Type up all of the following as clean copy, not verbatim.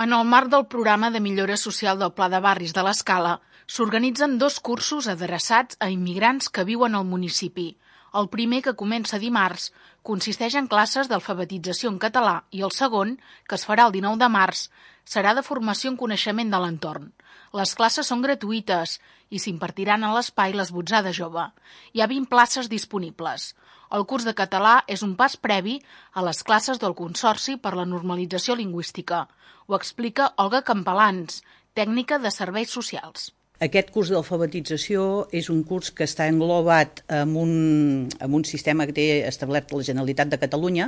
En el marc del programa de millora social del Pla de Barris de l'Escala, s'organitzen 2 cursos adreçats a immigrants que viuen al municipi. El primer, que comença dimarts, consisteix en classes d'alfabetització en català i el segon, que es farà el 19 de març, serà de formació en coneixement de l'entorn. Les classes són gratuïtes i s'impartiran a l'espai Les Botzades Jove. Hi ha 20 places disponibles. El curs de català és un pas previ a les classes del Consorci per la Normalització Lingüística. Ho explica Olga Campalans, tècnica de serveis socials. Aquest curs d'alfabetització és un curs que està englobat en un sistema que té establert la Generalitat de Catalunya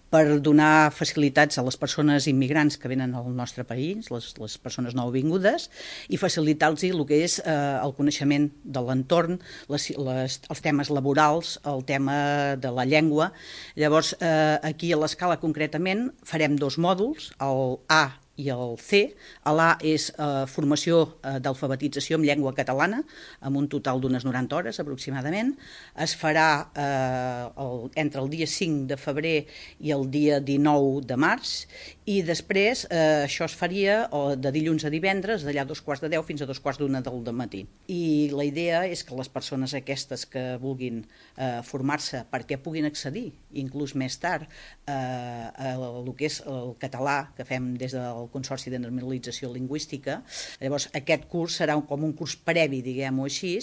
per donar facilitats a les persones immigrants que venen al nostre país, les persones nouvingudes, i facilitar-los el que és el coneixement de l'entorn, els temes laborals, el tema de la llengua. Llavors, aquí a l'Escala concretament farem 2 mòduls, el A i el C. L'A és formació d'alfabetització en llengua catalana, amb un total d'unes 90 hores aproximadament. Es farà entre el dia 5 de febrer i el dia 19 de març, i després això es faria de dilluns a divendres, d'allà 9:15 fins a 2:45 del matí. I la idea és que les persones aquestes que vulguin formar-se perquè puguin accedir, inclús més tard, a el que és el català que fem des del Consorci de Normalització Lingüística. Llavors, aquest curs serà com un curs previ, diguem-ho així.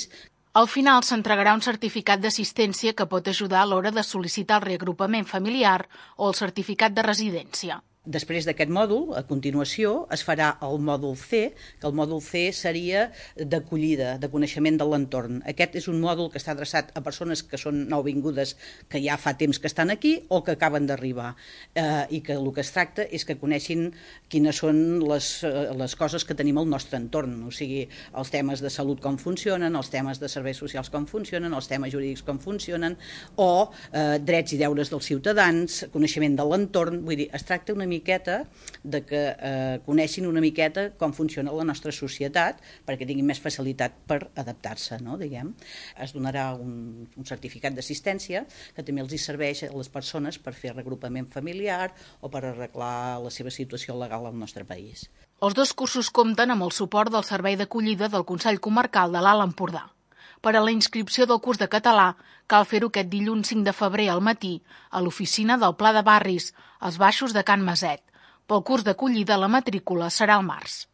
Al final s'entregarà un certificat d'assistència que pot ajudar a l'hora de sol·licitar el reagrupament familiar o el certificat de residència. Després d'aquest mòdul, a continuació, es farà el mòdul C, que el mòdul C seria d'acollida, de coneixement de l'entorn. Aquest és un mòdul que està adreçat a persones que són nouvingudes, que ja fa temps que estan aquí o que acaben d'arribar, i que el que es tracta és que coneixin quines són les coses que tenim al nostre entorn, o sigui, els temes de salut com funcionen, els temes de serveis socials com funcionen, els temes jurídics com funcionen, o drets i deures dels ciutadans, coneixement de l'entorn. Vull dir, es tracta una miqueta de que coneixin una miqueta com funciona la nostra societat perquè tinguin més facilitat per adaptar-se, no, diguem. Es donarà un certificat d'assistència que també els serveix a les persones per fer reagrupament familiar o per arreglar la seva situació legal al nostre país. Els 2 cursos compten amb el suport del Servei d'Acollida del Consell Comarcal de l'Alt Empordà. Per a la inscripció del curs de català cal fer-ho aquest dilluns 5 de febrer al matí a l'oficina del Pla de Barris, als baixos de Can Maset. Pel curs d'acollida la matrícula serà al març.